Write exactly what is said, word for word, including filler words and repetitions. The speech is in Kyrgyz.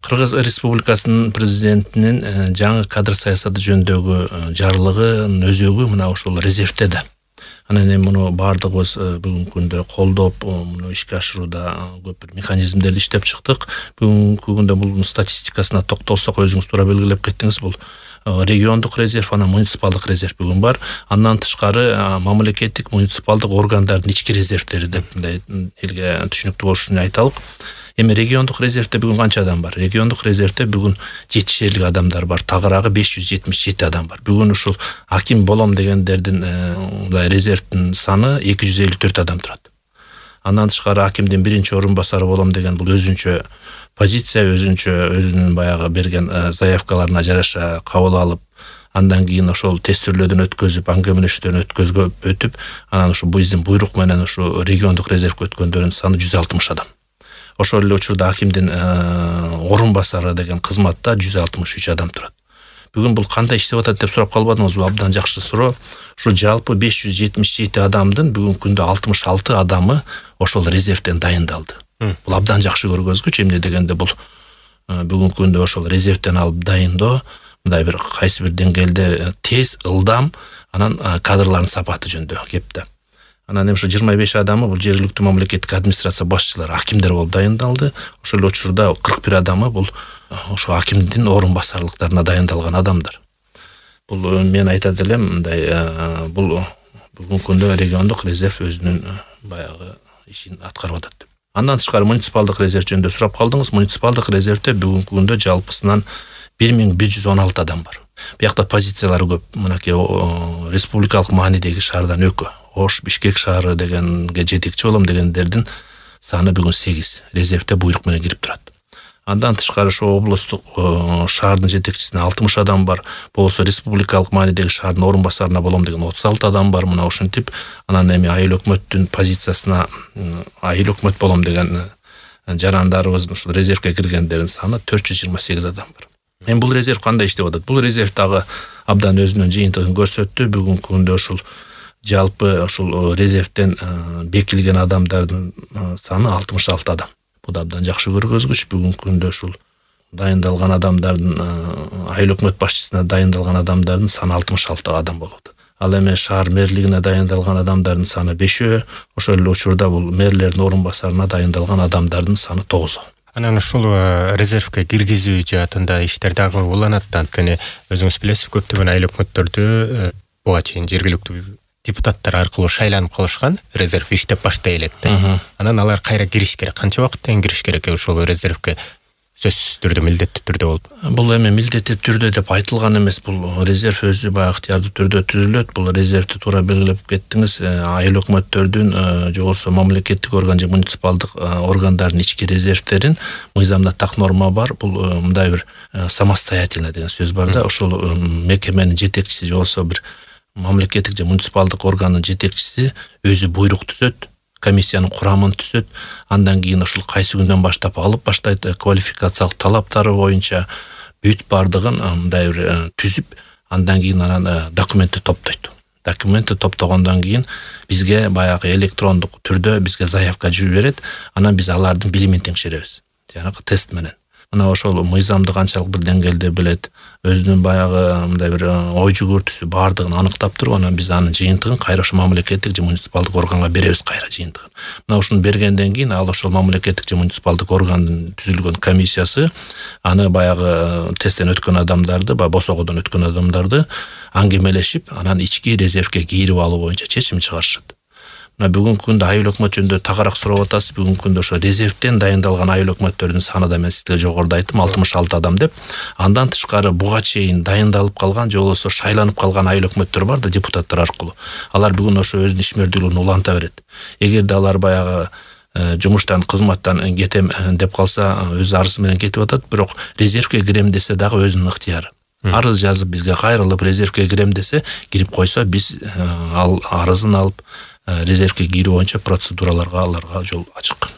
Кыргыз Республикасынын президентинин жаңы кадр саясаты жөнүндөгү жарлыгынын өзөгү мына ошол резервде да. Анан эми муну баардыгыбыз бүгүнкү күндө колдоп, муну ишке ашырууда көп бир механизмдерди иштеп чыктык. Бүгүнкү күндө бул статистикасына токтолсок, өзүңүз туура белгилеп кеттиңиз, бул региондук резерв, анан муниципалдык резерв бүгүн бар. Андан тышкары мамлекеттик муниципалдык органдардын ички резервдери деп мындай элге түшүнүктүү болуш үчүн айталык. Эми региондук резервде бүгүн канча адам бар? Региондук резервде бүгүн жетишерлик адамдар бар. Тагыраагы беш жүз жетимиш жети адам бар. Бүгүн ушул аким болом дегендердин мындай резервдин саны эки жүз элүү төрт адам турат. Андан тышкары акимдин биринчи орун басары болом деген бул өзүнчө позиция, өзүнчө өзүнүн баягы берген заявкаларына жараша кабыл алып, андан кийин ошол тестирлөөдөн өткөзүп, аңгемелешүүдөн өткөзүп өтүп, анан ушу биздин буйрук менен ушу региондук резервге өткөндөрдүн саны жүз алтымыш адам. Ошол эле учурда акимдин орун басары деген кызматта жүз алтымыш үч адам турат. Бүгүн бул кандай иштеп атат деп сурап калбадыңызбы? Бул абдан жакшы суроо. Ушу жалпы беш жүз жетимиш жети адамдын бүгүнкү күндө алтымыш алты адамы ошол резервден дайындалды. Бул абдан жакшы көргөзгүч. Эмне дегенде бул бүгүнкү күндө ошол резервден алып дайындоо мындай бир кайсы бир деңгээлде тез, ылдам, анан кадрлардын сапаты жөнүндө кеп да. Анан эми ушу жыйырма беш адамы бул жергиликтүү мамлекеттик администрация башчылары, акимдер болуп дайындалды. Ошол учурда кырк бир адамы бул ошо акимдин орун басарлыктарына дайындалган адамдар. Бул мен айтат элем, мындай бул бүгүнкү күндө региондук резерв өзүнүн баягы ишин аткарып атат деп. Андан тышкары муниципалдык резерв жөнүндө сурап калдыңыз. Муниципалдык резервде бүгүнкү күндө жалпысынан бир миң бир жүз он алты адам бар. Биякта позициялары көп. Мынакей республикалык маанидеги шаардан өкө, Ош, Бишкек шаары дегенге жетекчи болом дегендердин саны бүгүн сегиз. Резервде буйрук менен кирип турат. Андан тышкары ошо облустук шаардын жетекчисине алтымыш адам бар. Болсо республикалык маанидеги шаардын орун басарына болом деген отуз алты адам бар. Мына ушинтип, анан эми айыл өкмөттүн позициясына айыл өкмөт болом деген жарандарыбыздын ушул резервге киргендердин саны төрт жүз жыйырма сегиз адам бар. Эми бул резерв кандай иштеп атат? Бул резерв дагы абдан өзүнүн жыйынтыгын көрсөттү. Бүгүнкү күндө ушул жалпы ушул резервден бекилген адамдардын саны алтымыш алты адам. Бул да абдан жакшы көргөзгүч. Бүгүнкү күндө ушул дайындалган адамдардын айыл өкмөт башчысына дайындалган адамдардын саны алтымыш алты адам болуп атат. Ал эми шаар мэрлигине дайындалган адамдардын саны бешөө, ошол эле учурда бул мэрлердин орун басарына дайындалган адамдардын саны тогуз. Анан ушул резервге киргизүү жаатында иштер дагы уланат. Анткени өзүңүз билесиз, көптөгөн айыл өкмөттөрдү буга чейин жергиликтүү депутаттар аркылуу шайланып калышкан, резерв иштеп баштай элек да. Анан алар кайра кириш керек. Канча убакыттан кириш керек ошол резервге? Сөзсүз түрдө, милдеттүү түрдө болуп. Бул эми милдеттүү түрдө деп айтылган эмес. Бул резерв өзү баягы ыктыярдуу түрдө түзүлөт. Бул резервди туура белгилеп кеттиңиз. Айыл өкмөттөрдүн же болбосо мамлекеттик орган же муниципалдык органдардын ички резервдерин мыйзамда так норма бар. Бул мындай бир самостоятельно деген сөз бар да. Ошол мекеменин жетекчиси же болбосо бир мамлекеттик же муниципалдык органдын жетекчиси өзү буйрук түзөт, комиссиянын курамын түзөт. Андан кийин ошол кайсы күндөн баштап алып баштайт, квалификациялык талаптары боюнча бүт бардыгын мындай бир түзүп, андан кийин анан документти топтойт. Документти топтогондон кийин бизге баягы электрондук түрдө бизге заявка жиберет. Анан биз алардын билимин текшеребиз. Жанагы тест менен. Мына ошол мыйзамды канчалык бир деңгээлде билет, өзүнүн баягы мындай бир ой жүгүртүүсү бардыгын аныктап туруп, анан биз анын жыйынтыгын кайра ошо мамлекеттик же муниципалдык органга беребиз кайра жыйынтыгын. Мына ушуну бергенден кийин ал ошол мамлекеттик же муниципалдык органдын түзүлгөн комиссиясы аны баягы тесттен өткөн адамдарды, баягы босогодон өткөн адамдарды аңгемелешип, анан ички резервге кирип алуу боюнча чечим чыгарышат. Мына бүгүнкү күндө айыл өкмөт жөнүндө тагыраак сурап атасыз. Бүгүнкү күндө ошо резервден дайындалган айыл өкмөттөрдүн саны да мен сизге жогоруда айттым, алтымыш алты адам деп. Андан тышкары буга чейин дайындалып калган же болбосо шайланып калган айыл өкмөттөр бар да, депутаттар аркылуу. Алар бүгүн ошо өзүнүн ишмердүүлүгүн уланта берет. Эгерде алар баягы жумуштан, кызматтан кетем деп калса, өз арызы менен кетип атат, бирок резервге кирем десе дагы өзүнүн ыктыяры. Арыз жазып бизге кайрылып резервге кирем десе, кирип койсо биз ал арызын алып резервге кирүү боюнча процедураларга аларга жол ачык.